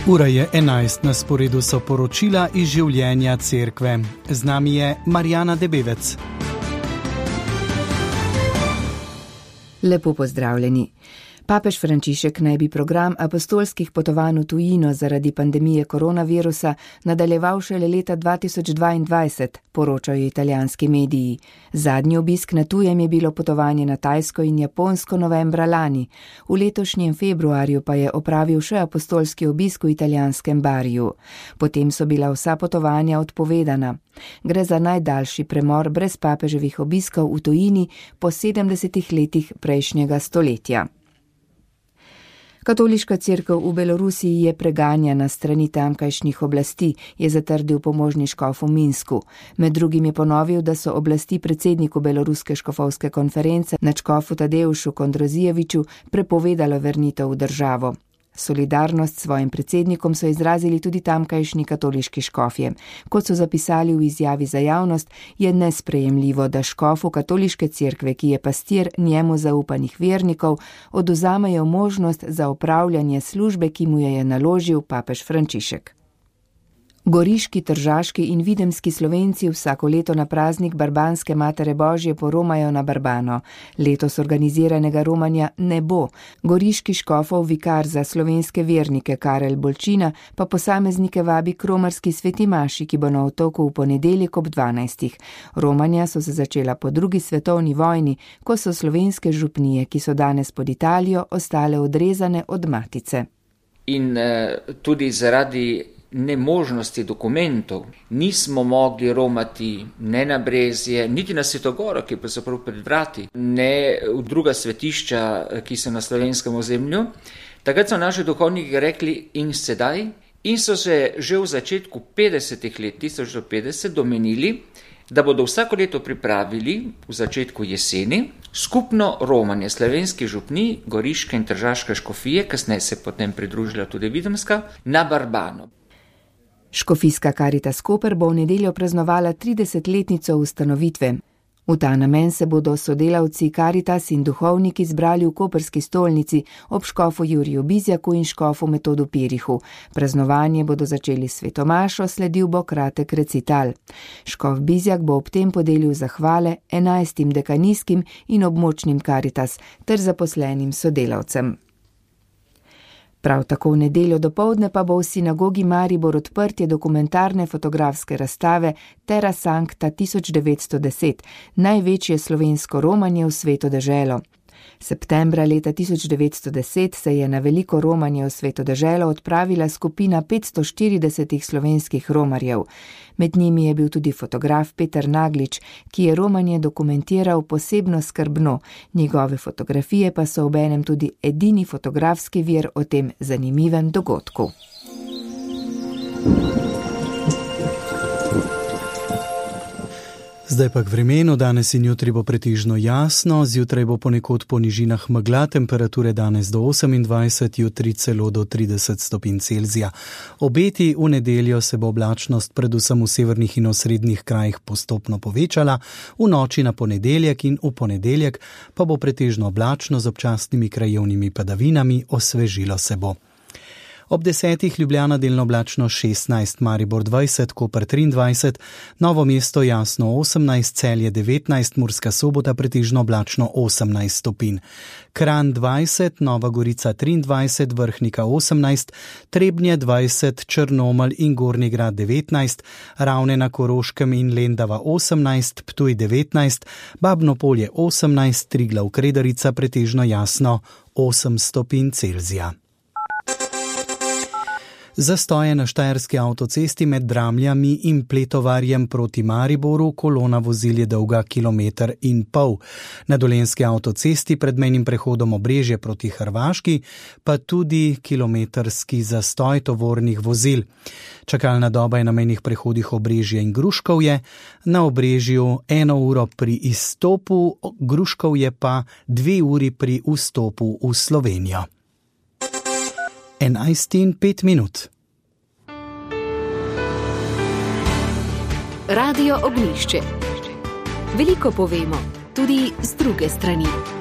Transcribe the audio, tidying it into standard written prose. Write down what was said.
Ura je 11, na sporedu so poročila iz življenja cerkve. Z nami je Marjana Debevec. Lepo pozdravljeni. Papež Frančišek naj bi program apostolskih potovanj v tujino zaradi pandemije koronavirusa nadaljeval šele leta 2022, poročajo italijanski mediji. Zadnji obisk na tujem je bilo potovanje na Tajsko in Japonsko novembra lani. V letošnjem februarju pa je opravil še apostolski obisk v italijanskem Bariju. Potem so bila vsa potovanja odpovedana. Gre za najdaljši premor brez papeževih obiskov v tujini po 70 letih prejšnjega stoletja. Katoliška cerkev v Belorusiji je preganjana strani tamkajšnjih oblasti, je zatrdil pomožni škof v Minsku. Med drugim je ponovil, da so oblasti predsedniku Beloruske škofovske konference nadškofu Tadeušu Kondrozijeviču prepovedalo vrnitev v državo. Solidarnost s svojim predsednikom so izrazili tudi tamkajšnji katoliški škofje. Kot so zapisali v izjavi za javnost, je nesprejemljivo, da škofu katoliške cerkve, ki je pastir njemu zaupanih vernikov, oduzamejo možnost za opravljanje službe, ki mu je naložil papež Frančišek. Goriški, tržaški in videmski Slovenci vsako leto na praznik Barbanske Matere Božje poromajo na Barbano. Letos organiziranega romanja ne bo. Goriški škofov vikar za slovenske vernike Karel Bolčina pa posameznike vabi k romarski sveti maši, ki bo na otoku v ponedeljek ob 12. Romanja so se začela po drugi svetovni vojni, ko so slovenske župnije, ki so danes pod Italijo, ostale odrezane od matice. In tudi zaradi nemožnosti dokumentov nismo mogli romati ne na Brezje, niti na Svetogoro, ki je pravzaprav pred vrati, ne v druga svetišča, ki so na slovenskem ozemlju. Takrat so naši duhovniki rekli in sedaj, in so se že v začetku 50 let, 1950, domenili, da bodo vsako leto pripravili v začetku jeseni skupno romanje slovenskih župnij, goriške in tržaške škofije, kasneje se potem pridružila tudi videmska, na Barbano. Škofijska Karitas Koper bo v nedeljo praznovala 30-letnico ustanovitve. V ta namen se bodo sodelavci Karitas in duhovniki zbrali v koperski stolnici ob škofu Juriju Bizjaku in škofu Metodu Pirihu. Praznovanje bodo začeli s svetomašo, sledil bo kratek recital. Škof Bizjak bo ob tem podelil zahvale 11 dekanijskim in območnim Karitas ter zaposlenim sodelavcem. Prav tako v nedeljo dopoldne pa bo v sinagogi Maribor odprtje dokumentarne fotografske razstave Terra Sancta 1910, največje slovensko romanje v Sveto deželo. Septembra leta 1910 se je na veliko romanje v Sveto deželo odpravila skupina 540 slovenskih romarjev. Med njimi je bil tudi fotograf Peter Naglič, ki je romanje dokumentiral posebno skrbno. Njegove fotografije pa so obenem tudi edini fotografski vir o tem zanimivem dogodku. Zdaj pa k vremenu, danes in jutri bo pretežno jasno, zjutraj bo ponekod po nižinah megla, temperature danes do 28, jutri celo do 30 stopinj Celzija. Obeti v nedeljo se bo oblačnost predvsem v severnih in osrednjih krajih postopno povečala, v noči na ponedeljek in v ponedeljek pa bo pretežno oblačno z občasnimi krajevnimi padavinami, osvežilo se bo. Ob 10 Ljubljana delno oblačno 16, Maribor 20, Koper 23, Novo mesto jasno 18, Celje 19, Murska Sobota pretežno oblačno 18 stopinj. Kranj 20, Nova Gorica 23, Vrhnika 18, Trebnje 20, Črnomelj in Gornji Grad 19, Ravne na Koroškem in Lendava 18, Ptuj 19, Babno Polje 18, Triglav Kredarica pretežno jasno 8 stopinj Celzija. Zastoje na štajerski avtocesti med Dramljami in Pletovarjem proti Mariboru, kolona vozil je dolga 1,5 kilometra. Na dolenjski avtocesti pred mejnim prehodom Obrežje proti Hrvaški pa tudi kilometrski zastoj tovornih vozil. Čakalna doba je na mejnih prehodih Obrežje in Gruškovje, na Obrežju 1 uro pri izstopu, Gruškovje pa 2 uri pri vstopu v Slovenijo. 11:05. Radio Ognjišče. Veliko povemo, tudi z druge strani.